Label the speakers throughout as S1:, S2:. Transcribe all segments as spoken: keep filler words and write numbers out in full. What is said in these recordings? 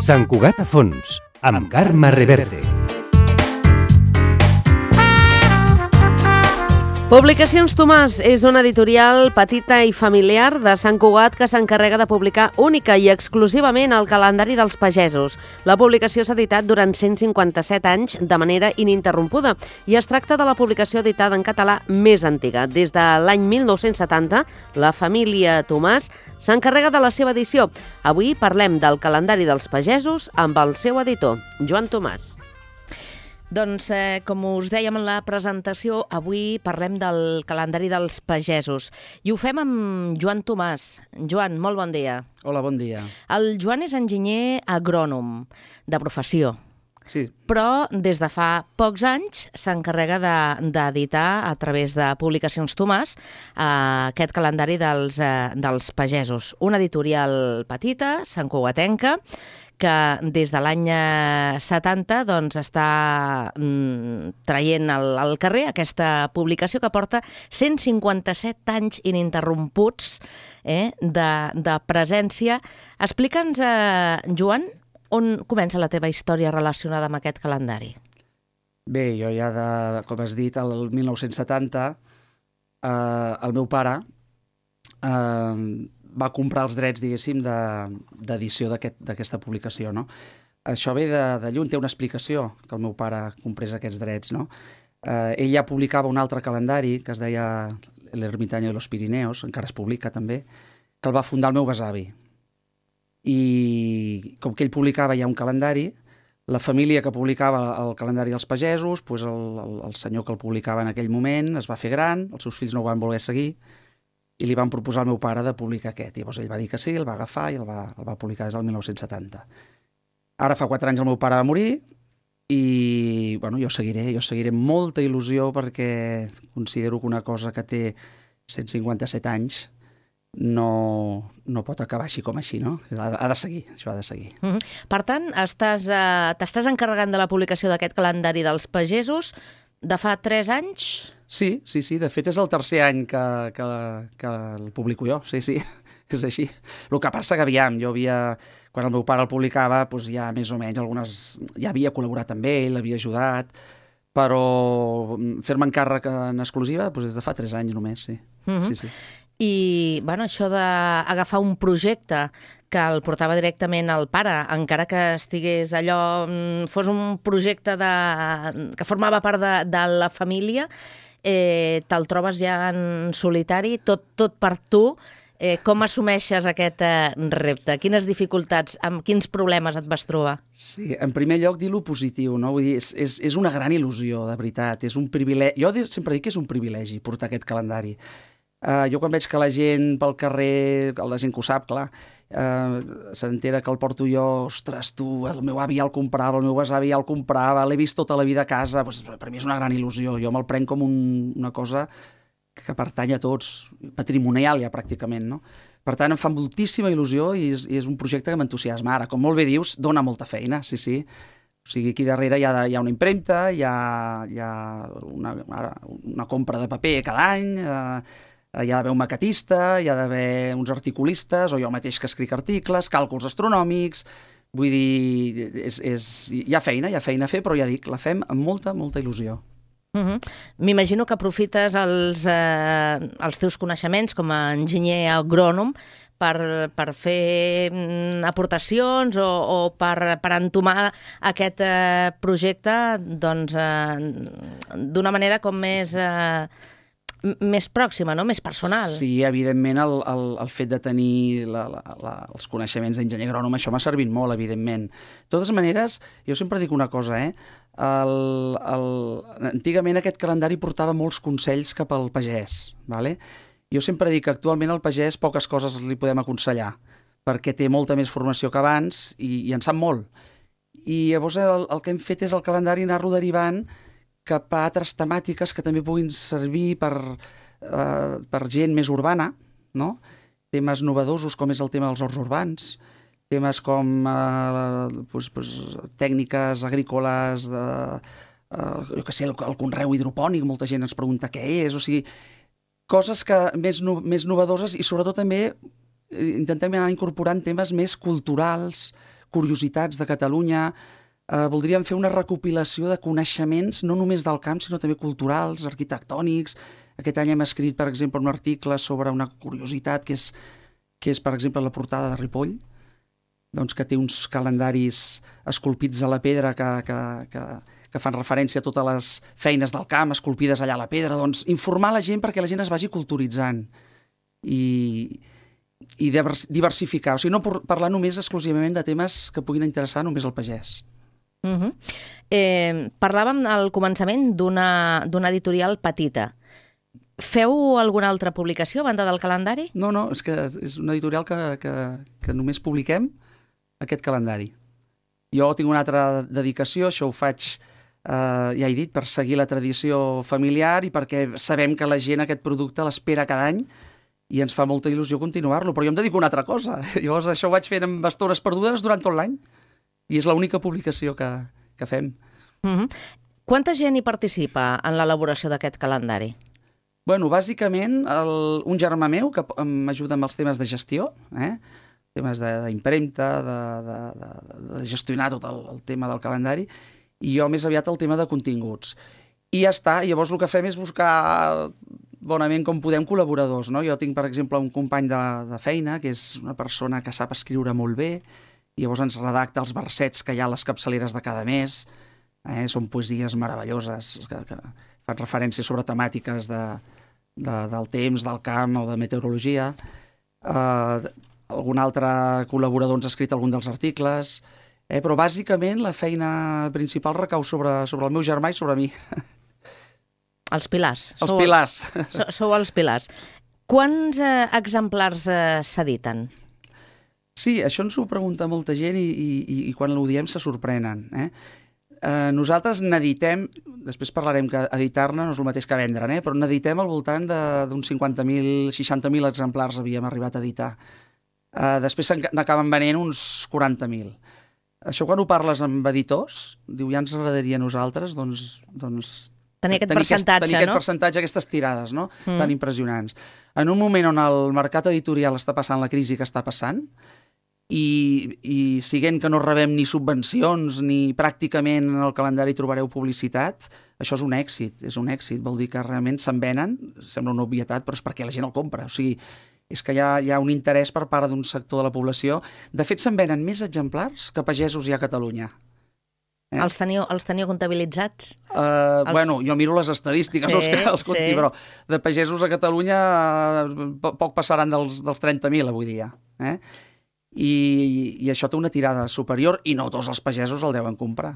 S1: Sant Cugat a fons, amb Carme Reverte.
S2: Publicacions Tomàs és una editorial petita i familiar de Sant Cugat que s'encarrega de publicar única i exclusivament el calendari dels pagesos. La publicació s'ha editat durant cent cinquanta-set anys de manera ininterrompuda i es tracta de la publicació editada en català més antiga. Des de l'any mil nou-cents setanta, la família Tomàs s'encarrega de la seva edició. Avui parlem del calendari dels pagesos amb el seu editor, Joan Tomàs. Doncs, eh, com us dèiem en la presentació, avui parlem del calendari dels pagesos. I ho fem amb Joan Tomàs. Joan, molt bon dia.
S3: Hola, bon dia.
S2: El Joan és enginyer agrònom, de professió.
S3: Sí.
S2: Però des de fa pocs anys s'encarrega d'editar a través de Publicacions Tomàs eh, aquest calendari dels, eh, dels pagesos. Una editorial petita, santcugatenca, que des de l'any setanta doncs, està mm, traient al, al carrer aquesta publicació que porta cent cinquanta-set anys ininterromputs eh, de, de presència. Explica'ns, eh, Joan, on comença la teva història relacionada amb aquest calendari?
S3: Bé, jo ja, de, com has dit, el mil nou-cents setanta, eh, el meu pare eh, va comprar els drets, diguéssim, d'edició de, d'aquesta publicació, no? Això ve de, de lluny, té una explicació que el meu pare comprés aquests drets, no? Eh, ell ja publicava un altre calendari que es deia L'Ermitaño de los Pirineos, encara es publica també, que el va fundar el meu besavi. I com que ell publicava ja un calendari, la família que publicava el calendari dels pagesos, doncs el, el, el senyor que el publicava en aquell moment es va fer gran, els seus fills no ho van voler seguir, i li van proposar al meu pare de publicar aquest. Llavors ell va dir que sí, el va agafar i el va, el va publicar des del mil nou-cents setanta. Ara fa quatre anys el meu pare va morir i bueno, jo seguiré, jo seguiré amb molta il·lusió perquè considero que una cosa que té cent cinquanta-set anys no, no pot acabar així com així, no? Ha, ha de seguir, això ha de seguir.
S2: Mm-hmm. Per tant, estàs, eh, t'estàs encarregant de la publicació d'aquest calendari dels pagesos de fa tres anys?
S3: Sí, sí, sí. De fet, és el tercer any que, que, que el publico jo. Sí, sí, és així. El que passa que, aviam, jo havia... Quan el meu pare el publicava, doncs ja més o menys algunes... Ja havia col·laborat amb ell, l'havia ajudat, però fer-me encàrrec en exclusiva doncs des de fa tres anys només, sí.
S2: Mm-hmm.
S3: Sí, sí.
S2: I, bueno, això d'agafar un projecte que el portava directament al pare, encara que estigués allò... fos un projecte de, que formava part de, de la família, eh, te'l trobes ja en solitari, tot, tot per tu. Eh, com assumeixes aquest eh, repte? Quines dificultats, amb quins problemes et vas trobar?
S3: Sí, en primer lloc, dir-lo positiu, no? Vull dir, és, és, és una gran il·lusió, de veritat. És un privilegi. Jo sempre dic que és un privilegi portar aquest calendari. Uh, jo quan veig que la gent pel carrer, la gent que ho sap, clar, uh, s'entera que el porto jo, ostres, tu, el meu avi ja el comprava, el meu besavi ja el comprava, l'he vist tota la vida a casa, doncs, per mi és una gran il·lusió. Jo me'l prenc com un, una cosa que pertany a tots, patrimonial ja pràcticament, no? Per tant, em fa moltíssima il·lusió i és, i és un projecte que m'entusiasma. Ara, com molt bé dius, dona molta feina, sí, sí. O sigui, aquí darrere hi ha, hi ha una impremta, hi ha, hi ha una, una compra de paper cada any, eh, hi ha d'haver un maquetista, hi ha d'haver uns articulistes, o jo mateix que escric articles, càlculs astronòmics, vull dir, és, és, hi ha feina, hi ha feina a fer, però ja dic, la fem amb molta, molta il·lusió.
S2: Uh-huh. M'imagino que aprofites els, eh, els teus coneixements com a enginyer agrònom per, per fer aportacions o, o per, per entomar aquest eh, projecte doncs, eh, d'una manera com més... Eh, més pròxima, no? Més personal.
S3: Sí, evidentment el, el, el fet de tenir la, la, la, els coneixements d'enginyer agrònom, això m'ha servit molt, evidentment. De totes maneres, jo sempre dic una cosa, eh? El, el, antigament aquest calendari portava molts consells cap al pagès, ¿vale? Jo sempre dic que actualment al pagès poques coses li podem aconsellar, perquè té molta més formació que abans i, i en sap molt. I llavors el, el que hem fet és el calendari anar-lo derivant cap a altres temàtiques que també puguin servir per, eh, per gent més urbana, no? Temes novedosos com és el tema dels horts urbans, temes com eh, pues, pues, tècniques agrícoles, de, eh, jo què sé, el, el conreu hidropònic, molta gent ens pregunta què és, o sigui, coses que, més, no, més novedoses i sobretot també intentem anar incorporant temes més culturals, curiositats de Catalunya. Eh, voldríem fer una recopilació de coneixements no només del camp, sinó també culturals, arquitectònics. Aquest any hem escrit, per exemple, un article sobre una curiositat que és, que és per exemple, la portada de Ripoll, doncs, que té uns calendaris esculpits a la pedra que, que, que, que fan referència a totes les feines del camp esculpides allà a la pedra. Doncs informar la gent perquè la gent es vagi culturitzant i, i diversificar. O sigui, no parlar només exclusivament de temes que puguin interessar només al pagès.
S4: Uh -huh. eh, parlàvem al començament d'una d'una editorial petita. Feu alguna altra publicació a banda del calendari?
S3: No, no, és que és una editorial que, que, que només publiquem aquest calendari. Jo tinc una altra dedicació, això ho faig, eh, ja he dit, per seguir la tradició familiar i perquè sabem que la gent aquest producte l'espera cada any i ens fa molta il·lusió continuar-lo, però jo em dedico a una altra cosa. Llavors això ho vaig fent amb estones perdudes durant tot l'any i és l'única publicació que, que fem.
S4: Uh-huh. Quanta gent hi participa en l'elaboració d'aquest calendari?
S3: Bueno, bàsicament, el, un germà meu que m'ajuda amb els temes de gestió, eh? temes d'impremta, de, de, de, de gestionar tot el, el tema del calendari, i jo més aviat el tema de continguts. I ja està, llavors el que fem és buscar bonament com podem col·laboradors, no? Jo tinc, per exemple, un company de, de feina, que és una persona que sap escriure molt bé, i llavors ens redacta els versets que hi ha a les capçaleres de cada mes, eh? Són poesies meravelloses, que, que fan referència sobre temàtiques de, de, del temps, del camp o de meteorologia. Eh, algun altre col·laborador ens ha escrit algun dels articles, eh? Però bàsicament la feina principal recau sobre, sobre el meu germà i sobre mi.
S4: Els pilars.
S3: Els sou pilars.
S4: Els, sou, sou els pilars. Quants eh, exemplars eh, s'editen?
S3: Sí, això ens ho pregunta molta gent i, i, i quan ho diem se sorprenen. Eh? Eh, nosaltres n'editem, després parlarem que editar-ne no és el mateix que vendre'n, eh? Però n'editem al voltant d'uns cinquanta mil, seixanta mil exemplars havíem arribat a editar. Eh, després n'acaben venent uns quaranta mil. Això quan ho parles amb editors, diu, ja ens agradaria a nosaltres, doncs... doncs
S4: tenir aquest
S3: tenir
S4: percentatge,
S3: aquest, tenir aquest
S4: no?
S3: percentatge, aquestes tirades, no?
S4: Mm.
S3: Tan impressionants. En un moment on el mercat editorial està passant la crisi que està passant, i, i siguent que no rebem ni subvencions ni pràcticament en el calendari trobareu publicitat, això és un èxit, és un èxit, vol dir que realment se'n venen, sembla una obvietat, però és perquè la gent el compra, o sigui, és que hi ha, hi ha un interès per part d'un sector de la població. De fet, se'n venen més exemplars que pagesos hi ha a Catalunya.
S4: Eh? Els, teniu, els teniu comptabilitzats?
S3: Uh, els... Bueno, jo miro les estadístiques, sí, els que els conti, sí. Però de pagesos a Catalunya uh, poc passaran dels, dels trenta mil avui dia, eh? I, i això té una tirada superior i no tots els pagesos el deuen comprar.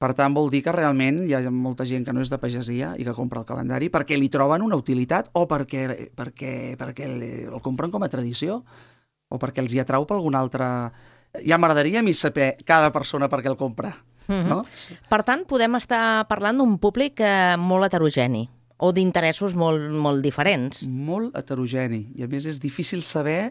S3: Per tant, vol dir que realment hi ha molta gent que no és de pagesia i que compra el calendari perquè li troben una utilitat o perquè, perquè, perquè el compren com a tradició o perquè els hi atrau per alguna altra... Ja m'agradaria a mi saber cada persona per què el compra. Mm-hmm. No?
S4: Per tant, podem estar parlant d'un públic eh, molt heterogeni o d'interessos molt, molt diferents.
S3: Molt heterogeni. I a més és difícil saber...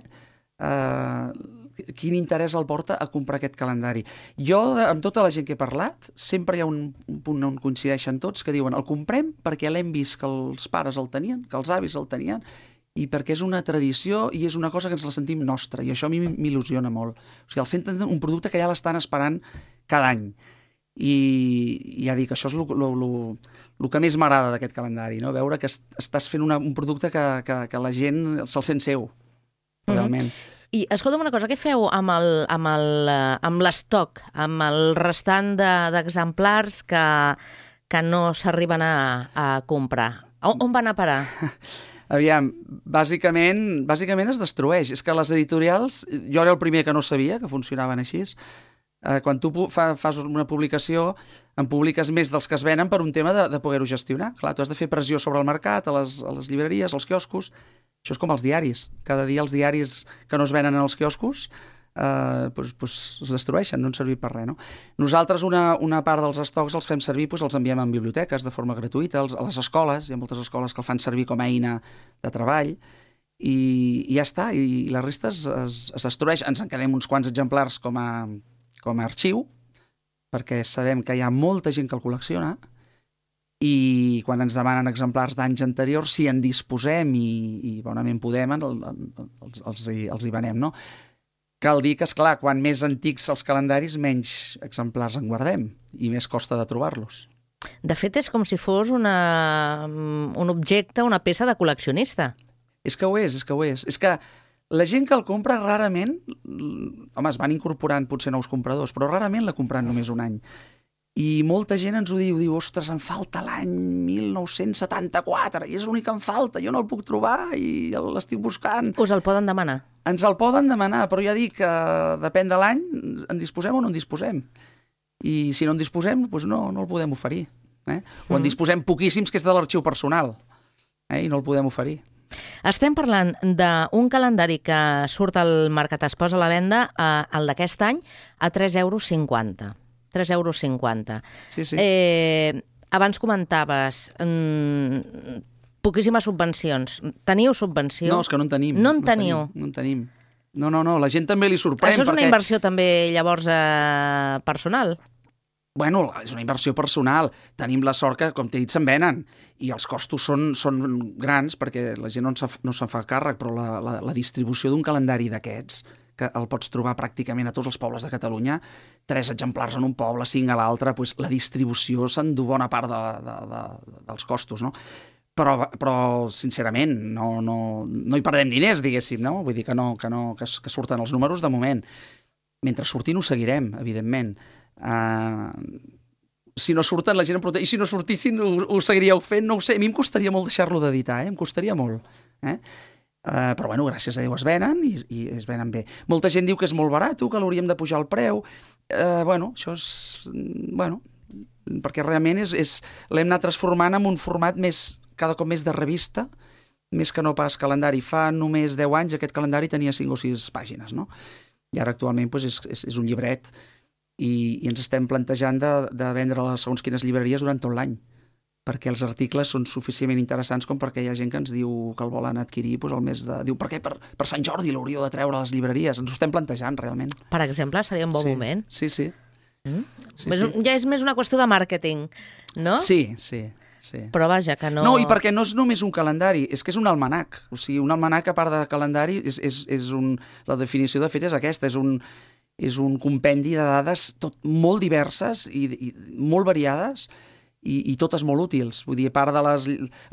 S3: Uh, quin interès el porta a comprar aquest calendari. Jo, amb tota la gent que he parlat, sempre hi ha un, un punt on coincideixen tots que diuen el comprem perquè l'hem vist que els pares el tenien, que els avis el tenien, i perquè és una tradició i és una cosa que ens la sentim nostra, i això a mi m'il·lusiona molt. O sigui, el senten un producte que ja l'estan esperant cada any. I ja dic, això és el que més m'agrada d'aquest calendari, no? Veure que estàs fent una, un producte que, que, que la gent se'l sent seu, realment. Mm-hmm.
S4: I escolta'm una cosa, què feu amb el, amb el, amb l'estoc, amb el restant d'exemplars de, que, que no s'arriben a, a comprar? On, on van a parar?
S3: Aviam, bàsicament, bàsicament es destrueix. És que les editorials, jo era el primer que no sabia que funcionaven així. Eh, quan tu fa, fas una publicació, en publiques més dels que es venen per un tema de, de poder-ho gestionar. Clar, tu has de fer pressió sobre el mercat, a les, a les llibreries, als quioscos. Això és com els diaris. Cada dia els diaris que no es venen als quioscos eh, pues, pues es destrueixen, no han servit per res. No? Nosaltres una, una part dels estocs els fem servir, pues, els enviem en biblioteques de forma gratuïta, els, a les escoles, hi ha moltes escoles que el fan servir com a eina de treball, i, i ja està, i, i la resta es, es, es destrueix. Ens en quedem uns quants exemplars com a, com a arxiu, perquè sabem que hi ha molta gent que el col·lecciona, i quan ens demanen exemplars d'anys anteriors, si en disposem i, i bonament podem, el, el, els, els, hi, els hi venem, no? Cal dir que, esclar, quan més antics els calendaris, menys exemplars en guardem i més costa de trobar-los.
S4: De fet, és com si fos una, un objecte, una peça de col·leccionista.
S3: És que ho és, és que ho és. És que la gent que el compra rarament, home, es van incorporant potser nous compradors, però rarament la compran només un any. I molta gent ens ho diu, diu, ostres, em falta l'any mil nou-cents setanta-quatre, i és l'únic que em falta, jo no el puc trobar i l'estic buscant.
S4: Us el poden demanar?
S3: Ens el poden demanar, però ja dic que depèn de l'any, en disposem o no en disposem. I si no en disposem, doncs no, no el podem oferir. Eh? O en disposem poquíssims, que és de l'arxiu personal, eh? I no el podem oferir.
S4: Estem parlant d'un calendari que surt al mercat, es posa a la venda, eh, el d'aquest any, a tres euros cinquanta. tres euros cinquanta.
S3: Sí, sí.
S4: Eh, abans comentaves mmm, poquíssimes subvencions. Teniu subvenció?
S3: No, és que no en tenim.
S4: No en
S3: no
S4: teniu?
S3: Tenim, no en tenim. No, no, no, la gent també li sorprèn.
S4: Això és una
S3: perquè...
S4: inversió també, llavors, eh, personal?
S3: Bueno, és una inversió personal. Tenim la sort que, com t'he dit, se'n venen. I els costos són, són grans perquè la gent no se'n no se fa càrrec, però la, la, la distribució d'un calendari d'aquests, que el pots trobar pràcticament a tots els pobles de Catalunya, tres exemplars en un poble, cinc a l'altre, doncs la distribució s'endú bona part de, de, de, dels costos, no? Però, però sincerament, no, no, no hi perdem diners, diguéssim, no? Vull dir que, no, que, no, que, que surten els números de moment. Mentre surtin ho seguirem, evidentment. Uh, si no surten, la gent em pregunta, i si no sortissin, ho, ho seguiríeu fent? No ho sé, a mi em costaria molt deixar-lo d'editar, eh? Em costaria molt, eh? Uh, però, bueno, gràcies a Déu es venen i, i es venen bé. Molta gent diu que és molt barat, que l'hauríem de pujar el preu. Uh, bueno, això és... Bueno, perquè realment és, és, l'hem anat transformant en un format més, cada cop més de revista, més que no pas calendari. Fa només deu anys aquest calendari tenia cinc o sis pàgines, no? I ara actualment doncs, és, és, és un llibret i, i ens estem plantejant de, de vendre a segons quines llibreries durant tot l'any, perquè els articles són suficientment interessants com perquè hi ha gent que ens diu que el volen adquirir doncs, el mes de... Diu, per què? Per, per Sant Jordi l'hauríeu de treure a les llibreries. Ens ho estem plantejant, realment.
S4: Per exemple, seria un bon
S3: sí,
S4: moment.
S3: Sí, sí.
S4: Mm?
S3: sí,
S4: és,
S3: sí.
S4: Ja és més una qüestió de màrqueting, no?
S3: Sí, sí, sí.
S4: Però vaja, que no...
S3: No, i perquè no és només un calendari, és que és un almanac. O sigui, un almanac, a part de calendari, és, és, és un... la definició de fet és aquesta, és un, és un compendi de dades tot molt diverses i, i molt variades, I, i totes molt útils. Vull dir, a part de les,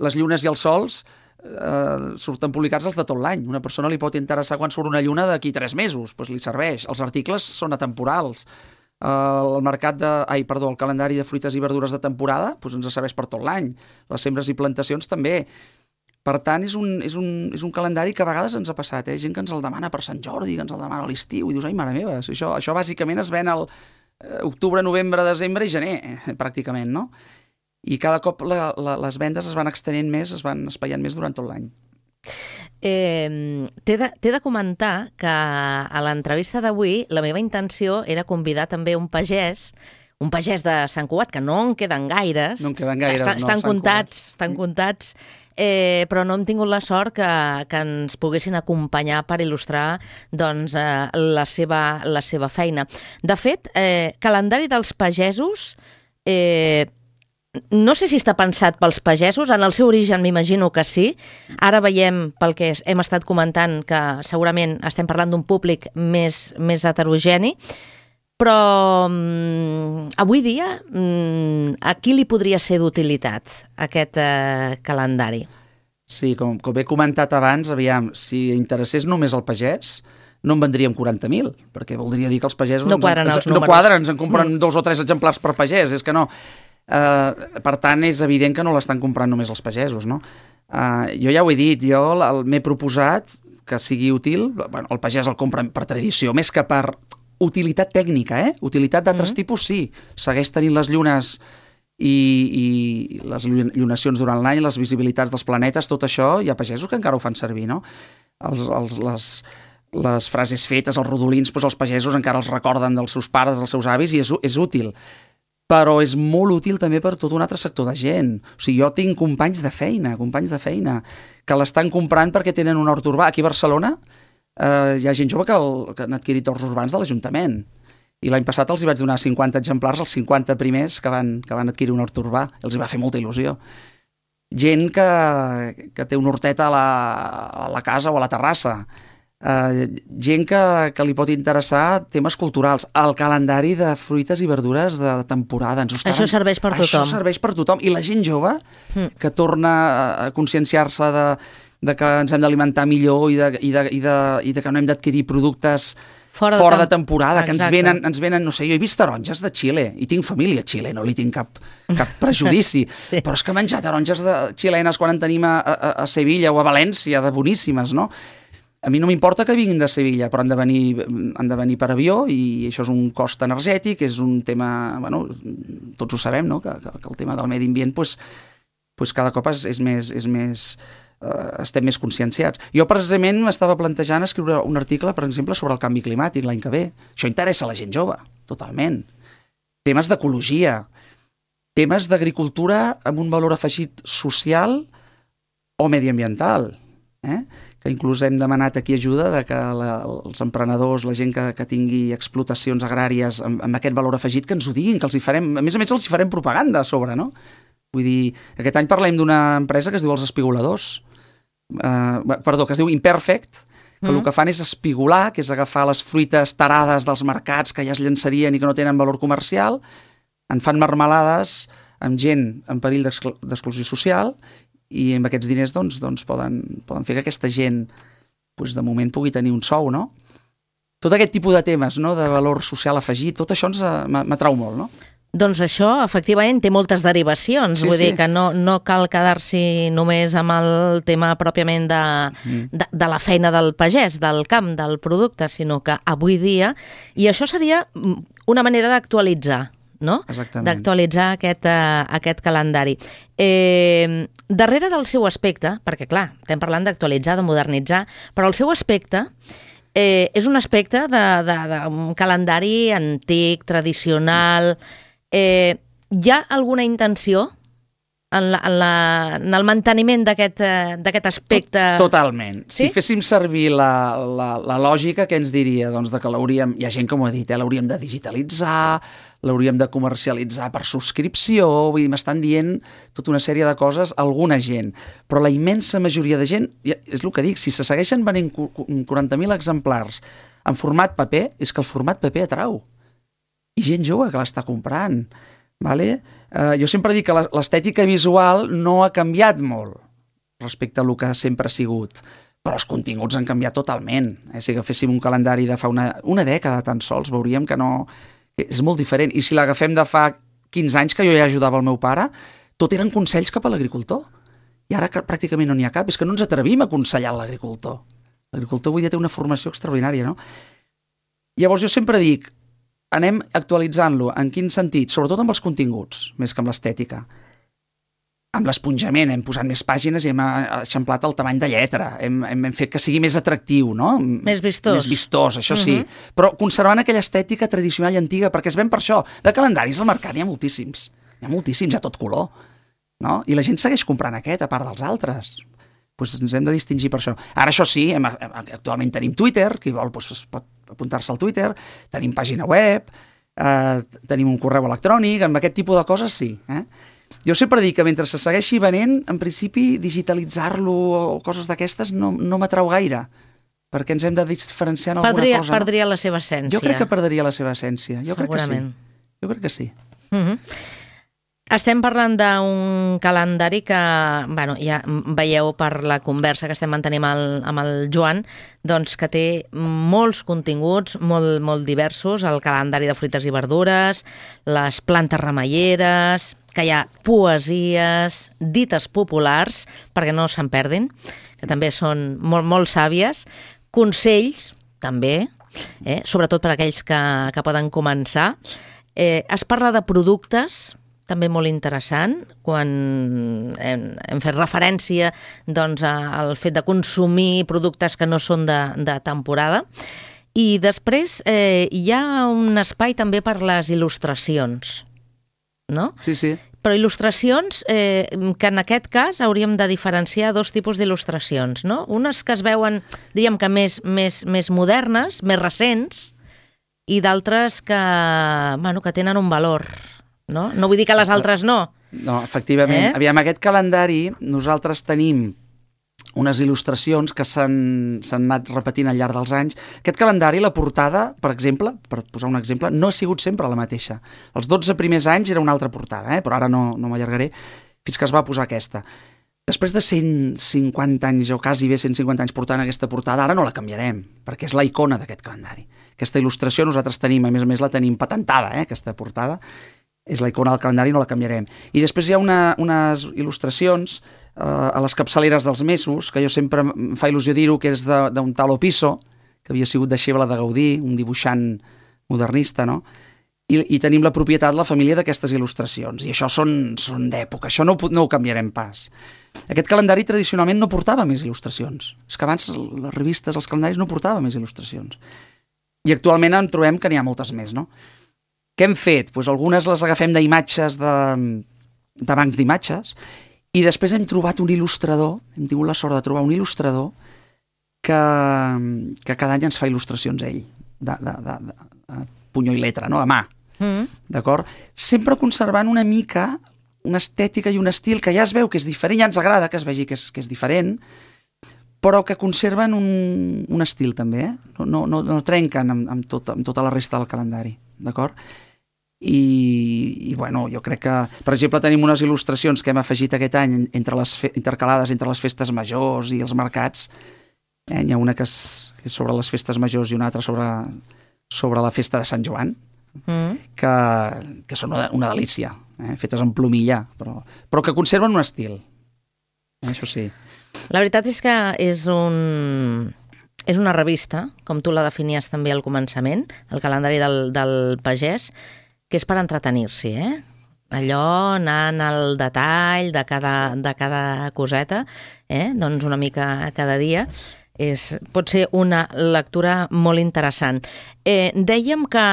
S3: les llunes i els sols, eh, surten publicats els de tot l'any. Una persona li pot interessar quan surt una lluna d'aquí tres mesos, doncs li serveix. Els articles són atemporals. Eh, el mercat de... Ai, perdó, el calendari de fruites i verdures de temporada doncs ens serveix per tot l'any. Les sembres i plantacions també. Per tant, és un, és, un, és un calendari que a vegades ens ha passat, eh? Gent que ens el demana per Sant Jordi, que ens el demana a l'estiu, i dius, ai, mare meva, això, això bàsicament es ven al eh, octubre, novembre, desembre i gener, eh, pràcticament, no? I cada cop la, la, les vendes es van extenent més, es van espaiant més durant tot l'any.
S4: Eh, T'he de, de comentar que a l'entrevista d'avui la meva intenció era convidar també un pagès, un pagès de Sant Cugat, que no en queden gaires.
S3: No en queden gaires,
S4: estan,
S3: no,
S4: estan
S3: Sant
S4: comptats,
S3: Cugat.
S4: estan comptats, eh, però no hem tingut la sort que, que ens poguessin acompanyar per il·lustrar doncs, eh, la, seva, la seva feina. De fet, eh, calendari dels pagesos... Eh, No sé si està pensat pels pagesos, en el seu origen m'imagino que sí. Ara veiem, pel que hem estat comentant, que segurament estem parlant d'un públic més, més heterogeni, però mm, avui dia mm, a qui li podria ser d'utilitat aquest eh, calendari?
S3: Sí, com, com he comentat abans, aviam, si interessés només el pagès, no en vendríem quaranta mil, perquè voldria dir que els pagesos...
S4: No quadren
S3: ens,
S4: els
S3: ens,
S4: números.
S3: No quadren, ens en compren
S4: Mm.
S3: dos o tres exemplars per pagès, és que no... Uh, per tant, és evident que no l'estan comprant només els pagesos, no? Uh, jo ja ho he dit, jo m'he proposat que sigui útil, bueno, el pagès el compra per tradició, més que per utilitat tècnica, eh? Utilitat d'altres mm. tipus, sí. Segueix tenint les llunes i, i les llunacions durant l'any, les visibilitats dels planetes, tot això, hi ha pagesos que encara ho fan servir, no? Els, els, les, les frases fetes, els rodolins, doncs els pagesos encara els recorden dels seus pares, dels seus avis, i és, és útil. Però és molt útil també per tot un altre sector de gent. O sigui, jo tinc companys de feina, companys de feina, que l'estan comprant perquè tenen un hort urbà. Aquí a Barcelona eh, hi ha gent jove que, el, que han adquirit horts urbans de l'Ajuntament. I l'any passat els hi vaig donar cinquanta exemplars, els cinquanta primers que van, que van adquirir un hort urbà. Els hi va fer molta il·lusió. Gent que, que té un hortet a la, a la casa o a la terrassa. Uh, gent que, que li pot interessar temes culturals. El calendari de fruites i verdures de temporada. Ens
S4: Això serveix per tothom.
S3: Això serveix per tothom. I la gent jove mm. que torna a conscienciar-se de, de que ens hem d'alimentar millor i de, i, de, i, de, i de que no hem d'adquirir productes fora, fora de, de temporada, que ens venen, ens venen, no sé, jo he vist taronges de Xile, i tinc família a Xile, no li tinc cap, cap prejudici, sí. Però és que menjar taronges de xilenes quan en tenim a, a, a Sevilla o a València, de boníssimes, no? A mi no m'importa que vinguin de Sevilla, però han de venir, han de venir per avió, i això és un cost energètic, és un tema, bueno, tots ho sabem, no?, que, que el tema del medi ambient, pues, pues cada cop és, és més... És més Uh, estem més conscienciats. Jo precisament m'estava plantejant escriure un article, per exemple, sobre el canvi climàtic l'any que ve. Això interessa a la gent jove, totalment. Temes d'ecologia, temes d'agricultura amb un valor afegit social o mediambiental, eh? Que inclús hem demanat aquí ajuda de que la, els emprenedors, la gent que, que tingui explotacions agràries amb, amb aquest valor afegit, que ens ho diguin, que els hi farem, a més a més els hi farem propaganda a sobre, no? Vull dir, aquest any parlem d'una empresa que es diu Els Espigoladors, Uh, perdó, que es diu Imperfect, que mm. el que fan és espigolar, que és agafar les fruites tarades dels mercats que ja es llançarien i que no tenen valor comercial, en fan marmelades amb gent en perill d'exclusió social, i amb aquests diners doncs, doncs poden, poden fer que aquesta gent doncs, de moment pugui tenir un sou, no? Tot aquest tipus de temes, no?, de valor social afegit, tot això ens m'atrau molt, no?
S4: Doncs això, efectivament, té moltes derivacions. Sí, Vull sí. dir que no, no cal quedar-s'hi només amb el tema pròpiament de, mm. de, de la feina del pagès, del camp, del producte, sinó que avui dia... I això seria una manera d'actualitzar, no?
S3: Exactament.
S4: D'actualitzar aquest, uh, aquest calendari. Eh, darrere del seu aspecte, perquè clar, estem parlant d'actualitzar, de modernitzar, però el seu aspecte... Eh, és un aspecte d'un calendari antic, tradicional... Eh, hi ha alguna intenció en, la, en, la, en el manteniment d'aquest d'aquest aspecte?
S3: Totalment.
S4: Sí?
S3: Si féssim servir la, la, la lògica, què ens diria? Doncs de que l'hauríem, hi ha gent que m'ho ha dit, eh? L'hauríem de digitalitzar, l'hauríem de comercialitzar per subscripció, vull dir, m'estan dient tota una sèrie de coses, alguna gent. Però la immensa majoria de gent, és el que dic, si se segueixen venent quaranta mil exemplars en format paper, és que el format paper atrau. I gent jove que l'està comprant. Vale? Uh, jo sempre dic que l'estètica visual no ha canviat molt respecte a el que sempre ha sigut, però els continguts han canviat totalment. Eh? Si agaféssim un calendari de fa una, una dècada tan sols, veuríem que no... És molt diferent. I si l'agafem de fa quinze anys, que jo ja ajudava el meu pare, tot eren consells cap a l'agricultor. I ara que pràcticament no n'hi ha cap. És que no ens atrevim a aconsellar l'agricultor. L'agricultor avui dia té una formació extraordinària, no? Llavors jo sempre dic, anem actualitzant-lo. En quin sentit? Sobretot amb els continguts, més que amb l'estètica. Amb l'esponjament, hem posat més pàgines i hem eixamplat el tamany de lletra. Hem, hem fet que sigui més atractiu, no?
S4: Més vistós.
S3: Més vistós, això sí. Uh-huh. Però conservant aquella estètica tradicional i antiga, perquè es ven per això. De calendaris al mercat n'hi ha moltíssims. N'hi ha moltíssims, a tot color. No? I la gent segueix comprant aquest, a part dels altres. Pues ens hem de distingir per això. Ara, això sí, hem, actualment tenim Twitter, qui vol pues, pot apuntar-se al Twitter, tenim pàgina web, eh, tenim un correu electrònic, amb aquest tipus de coses sí. Eh? Jo sempre dic que mentre se segueixi venent, en principi digitalitzar-lo o coses d'aquestes no, no m'atrau gaire, perquè ens hem de diferenciar en alguna
S4: perdria,
S3: cosa.
S4: Perdria no? la seva essència.
S3: Jo crec que perdria la seva essència. Jo
S4: Segurament.
S3: Crec que sí. Jo crec que sí.
S4: Uh-huh. Estem parlant d'un calendari que, bueno, ja veieu per la conversa que estem mantenint amb el, amb el Joan, doncs que té molts continguts molt, molt diversos, el calendari de fruites i verdures, les plantes remeieres, que hi ha poesies, dites populars, perquè no se'n perdin, que també són molt, molt sàvies, consells, també, eh, sobretot per a aquells que, que poden començar. Eh, es parla de productes, també molt interessant, quan hem, hem fet referència doncs, al fet de consumir productes que no són de, de temporada. I després eh, hi ha un espai també per les il·lustracions, no?
S3: Sí, sí.
S4: Però il·lustracions eh, que en aquest cas hauríem de diferenciar dos tipus d'il·lustracions, no? Unes que es veuen, diríem que més, més, més modernes, més recents, i d'altres que, bueno, que tenen un valor, no? No vull dir que les altres no.
S3: No, efectivament.
S4: Eh?
S3: Aviam, aquest calendari, nosaltres tenim unes il·lustracions que s'han anat repetint al llarg dels anys. Aquest calendari, la portada, per exemple, per posar un exemple, no ha sigut sempre la mateixa. Els dotze primers anys era una altra portada, eh? Però ara no, no m'allargaré, fins que es va posar aquesta. Després de cent cinquanta anys, o quasi bé cent cinquanta anys portant aquesta portada, ara no la canviarem, perquè és la icona d'aquest calendari. Aquesta il·lustració nosaltres tenim, a més a més la tenim patentada, eh? Aquesta portada. És la icona del calendari, no la canviarem. I després hi ha una, unes il·lustracions eh, a les capçaleres dels mesos, que jo sempre em fa il·lusió dir-ho, que és d'un tal Opisso, que havia sigut deixeble de Gaudí, un dibuixant modernista, no? I, i tenim la propietat, la família d'aquestes il·lustracions. I això són, són d'època, això no, no ho canviarem pas. Aquest calendari tradicionalment no portava més il·lustracions. És que abans les revistes, els calendaris no portaven més il·lustracions. I actualment en trobem que n'hi ha moltes més, no? Què hem fet? Pues algunes les agafem d'imatges, de, de bancs d'imatges, i després hem trobat un il·lustrador, hem tingut la sort de trobar un il·lustrador que, que cada any ens fa il·lustracions ell, de, de, de, de punyó i letra, no? A mà, mm. D'acord? Sempre conservant una mica una estètica i un estil que ja es veu que és diferent, ja ens agrada que es vegi que és, que és diferent, però que conserven un, un estil també, eh? No, no, no, no trenquen amb, amb, tot, amb tota la resta del calendari, d'acord? I, i bueno, jo crec que, per exemple, tenim unes il·lustracions que hem afegit aquest any entre les fe, intercalades entre les festes majors i els mercats. Eh? Hi ha una que és, que és sobre les festes majors i una altra sobre, sobre la festa de Sant Joan, mm. que, que són una, una delícia, eh? Fetes en plomilla, però, però que conserven un estil, eh? Això sí.
S4: La veritat és que és un... és una revista, com tu la definies també al començament, el calendari del, del pagès, que és per entretenir-s'hi, eh? Allò, anant al detall de cada, de cada coseta, eh? Doncs una mica cada dia. És, pot ser una lectura molt interessant. Eh, dèiem que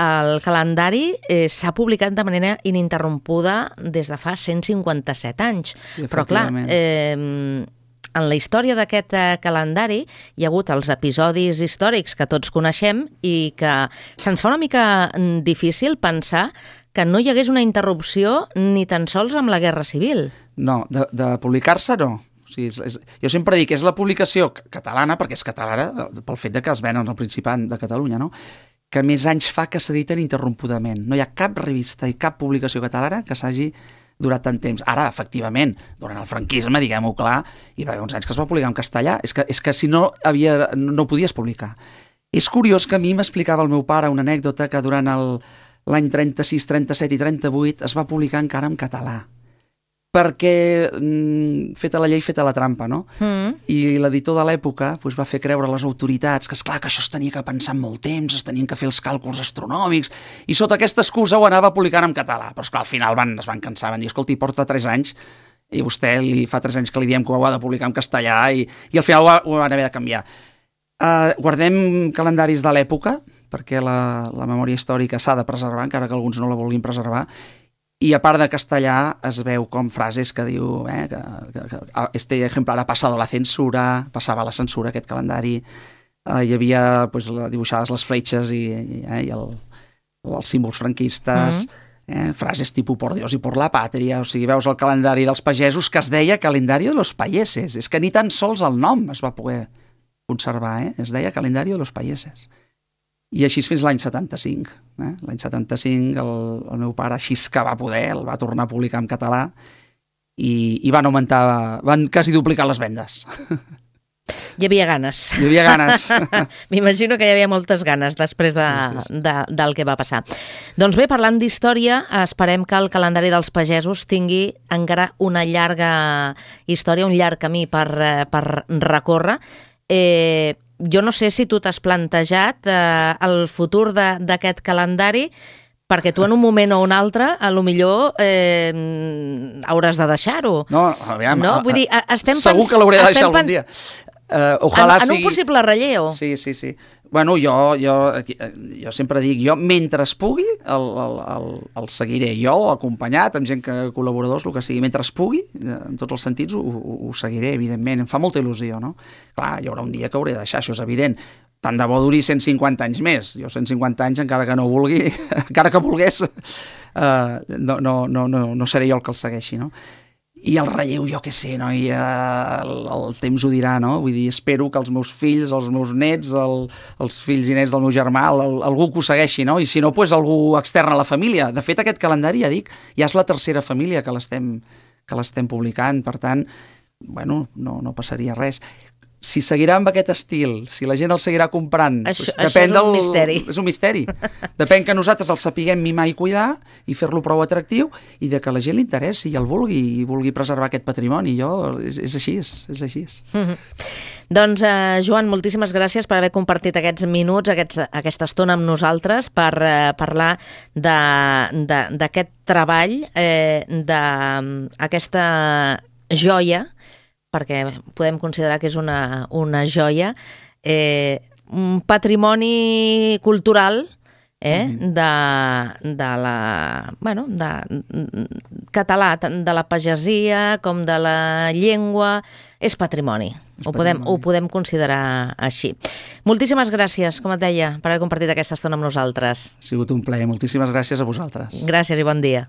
S4: el calendari eh, s'ha publicat de manera ininterrompuda des de fa cent cinquanta-set anys.
S3: Sí,
S4: però clar, eh, en la història d'aquest eh, calendari hi ha hagut els episodis històrics que tots coneixem i que se'ns fa una mica difícil pensar que no hi hagués una interrupció ni tan sols amb la Guerra Civil.
S3: No, de, de publicar-se no. O sigui, és, és, jo sempre dic que és la publicació catalana, perquè és catalana, pel fet de que es ven al Principat de Catalunya, no? Que més anys fa que s'editen interrompudament. No hi ha cap revista i cap publicació catalana que s'hagi durat tant temps. Ara, efectivament, durant el franquisme, diguem-ho clar, hi va haver uns anys que es va publicar en castellà. És que, és que si no, havia, no podies publicar. És curiós que a mi m'explicava el meu pare una anècdota que durant l'any trenta-sis, trenta-set i trenta-vuit es va publicar encara en català. Perquè mm, feta la llei, feta la trampa, no? Mm. I l'editor de l'època pues, va fer creure a les autoritats que, esclar, que això es tenia que pensar en molt temps, es tenien que fer els càlculs astronòmics, i sota aquesta excusa ho anava publicant en català. Però, esclar, al final van, es van cansar, van dir, escolti, porta tres anys, i vostè li fa tres anys que li diem que ho ha de publicar en castellà, i, i al final ho, ho van haver de canviar. Uh, guardem calendaris de l'època, perquè la, la memòria històrica s'ha de preservar, encara que alguns no la vulguin preservar, i a part de castellà es veu com frases que diu eh, que, que, que este ejemplar ha passat la censura, passava la censura aquest calendari, eh, hi havia pues, dibuixades les fletxes i, i, eh, i el, els símbols franquistes, mm. eh, frases tipus por Dios i por la patria, o sigui, veus el calendari dels pagesos que es deia calendari de los payeses, és que ni tan sols el nom es va poder conservar, eh? Es deia calendari de los payeses. I així fins l'any setanta-cinc. Eh? L'any setanta-cinc el, el meu pare, així que va poder, el va tornar a publicar en català i, i van augmentar, van quasi duplicar les vendes.
S4: Hi havia ganes.
S3: Hi havia ganes.
S4: M'imagino que hi havia moltes ganes després de, sí, sí, sí. De, del que va passar. Doncs bé, parlant d'història, esperem que el calendari dels pagesos tingui encara una llarga història, un llarg camí per, per recórrer. Eh, Jo no sé si tu t'has plantejat eh, el futur d'aquest calendari, perquè tu en un moment o un altre, a lo millor eh, hauràs de deixar-ho.
S3: No, aviam,
S4: no? Vull dir, estem
S3: segur
S4: pens...
S3: que l'hauré de deixar algun dia. Uh, ojalà
S4: en, en
S3: sigui...
S4: un possible relleu.
S3: Sí, sí, sí. Bueno, jo, jo, jo sempre dic, jo mentre es pugui el, el, el, el seguiré, jo acompanyat amb gent que col·laboradors, el que sigui, mentre es pugui, en tots els sentits ho, ho, ho seguiré, evidentment, em fa molta il·lusió, no? Clar, hi haurà un dia que hauré de deixar, això és evident. tant de bo duri cent cinquanta anys més. Jo cent cinquanta anys, encara que no vulgui, encara que volgués, uh, no, no, no, no, no seré jo el que el segueixi, no? I el relleu, jo què sé, no? I, uh, el, el temps ho dirà, no? Vull dir, espero que els meus fills, els meus nets, el, els fills i nets del meu germà, el, el, algú que ho segueixi, no? I si no, pues, algú extern a la família. De fet, aquest calendari, ja dic, ja és la tercera família que l'estem que l'estem publicant, per tant, bueno, no, no passaria res. Si seguirà amb aquest estil, si la gent el seguirà comprant...
S4: Això,
S3: doncs
S4: això
S3: depèn
S4: és un
S3: del...
S4: misteri.
S3: És un misteri. Depèn que nosaltres el sapiguem mimar i cuidar i fer-lo prou atractiu i de que la gent li interessi i el vulgui i vulgui preservar aquest patrimoni. Jo, és, és així, és, és així.
S4: Mm-hmm. Doncs, eh, Joan, moltíssimes gràcies per haver compartit aquests minuts, aquests, aquesta estona amb nosaltres per eh, parlar d'aquest treball, eh, d'aquesta joia, perquè podem considerar que és una, una joia, eh, un patrimoni cultural eh, mm-hmm. de, de la, bueno, de, català, tant de la pagesia com de la llengua, és patrimoni. És ho, podem, patrimoni. Ho podem considerar així. Moltíssimes gràcies, com et deia, per haver compartit aquesta estona amb nosaltres.
S3: Ha sigut un plaer. Moltíssimes gràcies a vosaltres.
S4: Gràcies i bon dia.